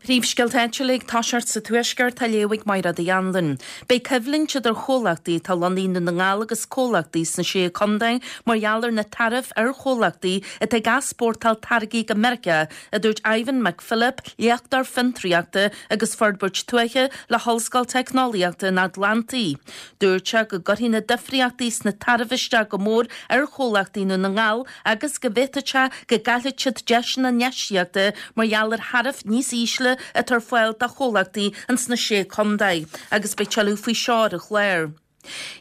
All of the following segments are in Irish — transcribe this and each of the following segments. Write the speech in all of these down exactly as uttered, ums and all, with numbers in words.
Príomhscéalta áitiúla ag toiseacht sa Tuaisceart á léamh ag Máire Uí Anluain. Beidh coimhlint idir chomhlachtaí atá lonnaithe i nDún na nGall agus comhlachtaí sna sé chontae mar gheall ar na taraif ar chomhlachtaí atá ag easpórtáil táirgí go Meiriceá, a dúirt Ivan McPhillip, léachtóir fiontraíochta agus forbairt tuaithe le hOllscoil Teicneolaíochta an Atlantaigh. Dúirt sé go gcuirfidh na difríochtaí sna taraif isteach go mór ar chomhlachtaí i nDún na nGall agus go bhféadfadh sé go gcaillfeadh siad deiseanna infheistíochta mar gheall ar tharaif níos ísle atá ar fáil do chomhlachtaí ins na sé chontae, agus beidh tuilleadh faoi seo ar an chlár.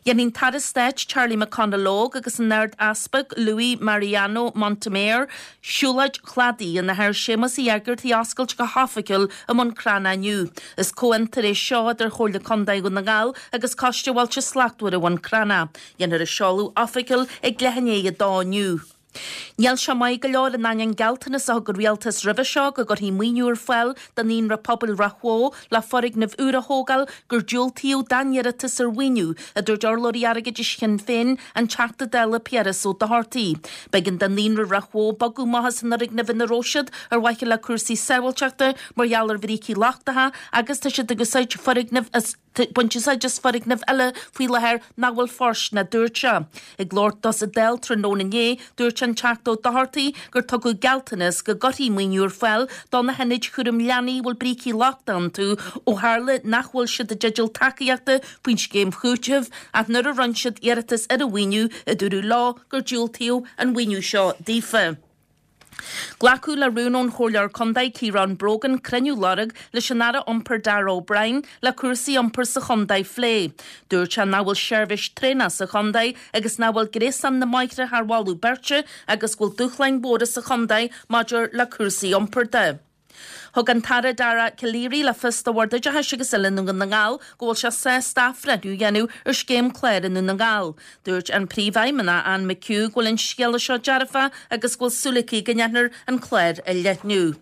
Dhéanfaidh an tAire Stáit Charlie McConalogue agus an Ard-Easpag Luis Mariano Montemayor siúlóid chladaigh an Athar Séamus Uí Éigeartaigh a oscailt go hoifigiúil i mBun Cranncha inniu. Is comhfhiontar é seo idir Chomhairle Contae Dhún na nGall agus Coiste Bhailte Slachtmhara Bhun Cranncha. Dhéanfar an seoladh oifigiúil ag leath i ndiaidh a dó inniu. Níl sé maith go leor in ainneoin gealltanas a thug an rialtas roimhe seo go gcuirfí maoiniú ar fáil do Naíonra Pobail Ráth Bhoth le foirgneamh úr a thógáil gur diúltaíodh dá n-iarratas ar mhaoiniú, a dúirt urlabhraí airgeadais Shinn Féin, an Teachta Dála Piaras Ó Dochartaigh. B'éigean do Naíonra Ráth Bhoth bogadh amach as an fhoirgneamh ina raibh siad ar mhaithe le cúrsaí sábháilteachta mar gheall ar bhrící lochtacha agus tá siad ag úsáid foirgneamh as baint úsáid as foirgneamh eile faoi láthair nach bhfuil fóirsteanach, a dúirt sé. Ag labhairt dó sa Dáil tráthnóna inné, dúirt an Teachta Ó Dochartaigh gur tugadh gealltanas go gcuirfí maoiniú ar fáil do na hionaid chúram leanaí a bhfuil brící lochtacha iontu ó tharla nach bhfuil siad i dteideal tacaíochta faoin scéim chúitimh ach nuair a rinne siad iarratas ar an mhaoiniú a dúradh leo gur diúltaíodh an mhaoiniú seo daofa. Glacadh le rún ón Chomhairleoir Contae Ciarán Brogan cruinniú a lorg leis an Aire Iompair Darragh O'Brien le cúrsaí iompair sa chontae a phlé. Dúirt sé nach bhfuil seirbhís traenach sa chontae agus nach bhfuil gréasán na mbóithre thar mholadh beirte agus go bhfuil dúshláin mhóra sa chontae maidir le cúrsaí iompair de. Thug an tAire Dara Calleary le fios do Bhord Oideachais agus Oiliúna Dhún na nGall go bhfuil sé sásta athbhreithniú a dhéanamh ar scéim cláir i nDún na nGall. Dúirt an Príomhfheidhmeannach Anne McHugh go bhfuil an scéala seo dearfa agus go bhfuil súil aici go ndéanfar an clár a leathnú.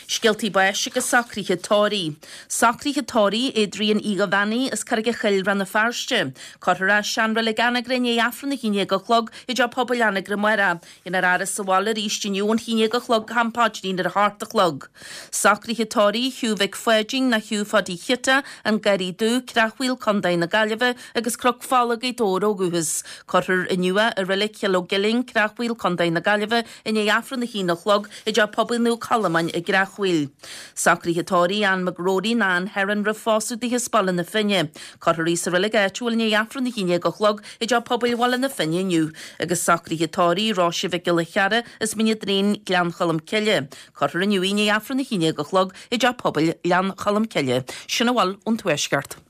Scéaltaí báis agus socruithe tórraimh. Socruithe tórraimh Adrian Uí Bheannaí as Carraig an Choill Rann na Feirste. Cuirfear é i seanreilig Anagaire i ndiaidh Aifreann a haon déag a chlog i dTeach Pobail Anagaire amárach. Dhéanfar a fhaire sa bhaile arís inniu ón haon déag a chlog go ham paidrín ar a hocht a chlog. Socruithe tórraimh Hugh Mhic Pháidín nó Hugh Pháidí Chiota, An Garraí Dubh, Creachmhaoil, Contae na Gaillimhe agus Cnoc Fola, Gaoth Dobhair ó dhúchas. Cuirfear inniu é i Reilig Chill Ó gCuilinn, Creachmhaoil, Contae na Gaillimhe i ndiaidh Aifreann a haon a chlog i dTeach Pobail Naomh Colmáin i gCreachmhaoil. Socruithe tórraimh Ann McGrory nó Ann Heron roimh phósadh daoithe as Baile na Finne. Cuirfear í sa reilig áitiúil i ndiaidh Aifreann a haon déag a chlog i dTeach Pobail Bhaile na Finne inniu agus socruithe tórraimh Róise Mhic Giolla Cheara as Mín an Doirín, Gleann Cholm Cille. Cuirfear inniu í i ndiaidh Aifreann a haon déag a chlog i dTeach Pobail Ghleann Cholm Cille. Sin a bhfuil ón Tuaisceart.